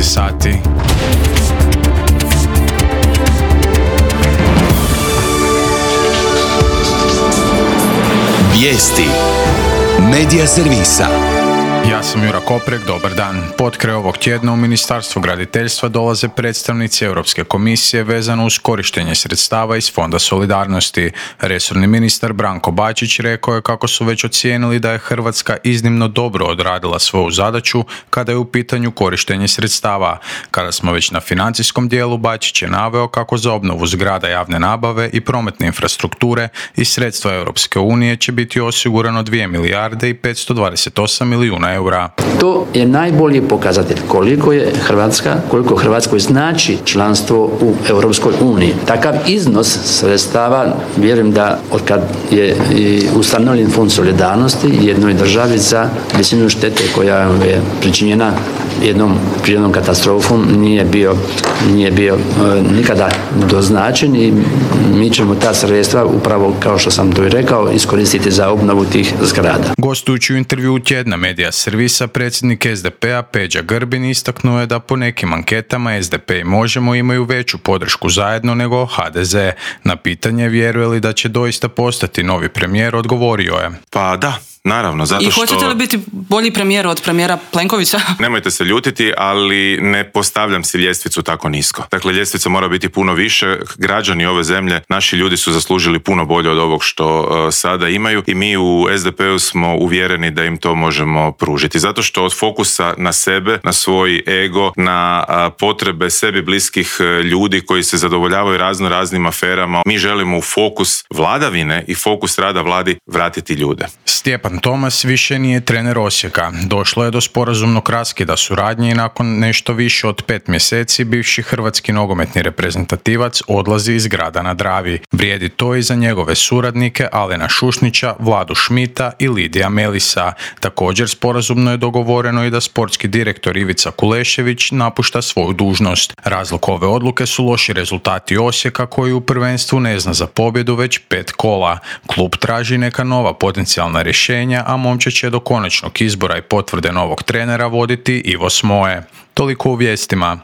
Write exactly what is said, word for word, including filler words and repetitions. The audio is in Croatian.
sati. Vijesti Medija servisa. Ja sam Jura Koprek, dobar dan. Potkraj ovog tjedna u Ministarstvu graditeljstva dolaze predstavnici Europske komisije vezano uz korištenje sredstava iz Fonda solidarnosti. Resorni ministar Branko Bačić rekao je kako su već ocijenili da je Hrvatska iznimno dobro odradila svoju zadaću kada je u pitanju korištenje sredstava. Kada smo već na financijskom dijelu, Bačić je naveo kako za obnovu zgrada javne nabave i prometne infrastrukture iz sredstva Europske unije će biti osigurano dvije milijarde i petsto dvadeset osam milijuna eura. To je najbolji pokazatelj koliko je Hrvatska, koliko Hrvatskoj znači članstvo u Europskoj uniji. Takav iznos sredstava, vjerujem da od kad je ustanovljen Fond solidarnosti jednoj državi za visinu štete koja je pričinjena jednom prirodnom katastrofom nije bio, nije bio e, nikada doznačen i mi ćemo ta sredstva upravo, kao što sam to i rekao, iskoristiti za obnovu tih zgrada. Gostujući u intervjuu tjedna Medija servisa, predsjednik es de pe a Peđa Grbin istaknuo je da po nekim anketama es de pe i Možemo imaju veću podršku zajedno nego ha de ze. Na pitanje vjeruje li da će doista postati novi premijer, odgovorio je: Pa da, naravno, zato što... I hoćete li biti bolji premijer od premijera Plenkovića? Nemojte se ljutiti, ali ne postavljam si ljestvicu tako nisko. Dakle, ljestvica mora biti puno više. Građani ove zemlje, naši ljudi su zaslužili puno bolje od ovog što uh, sada imaju i mi u es de pe u smo uvjereni da im to možemo pružiti. Zato što od fokusa na sebe, na svoj ego, na uh, potrebe sebi bliskih uh, ljudi koji se zadovoljavaju razno raznim aferama, mi želimo u fokus vladavine i fokus rada vladi vratiti ljude. Stjepan Tomas više nije trener Osijeka. Došlo je do sporazumnog raskida suradnje i nakon nešto više od pet mjeseci bivši hrvatski nogometni reprezentativac odlazi iz grada na Dravi. Vrijedi to i za njegove suradnike Alena Šušnića, Vladu Šmita i Lidija Melisa. Također sporazumno je dogovoreno i da sportski direktor Ivica Kulešević napušta svoju dužnost. Razlog ove odluke su loši rezultati Osijeka koji u prvenstvu ne zna za pobjedu već pet kola. Klub traži neka nova potencijalna rješenja, a momčad će do konačnog izbora i potvrde novog trenera voditi Ivo Smoje. Toliko u vijestima.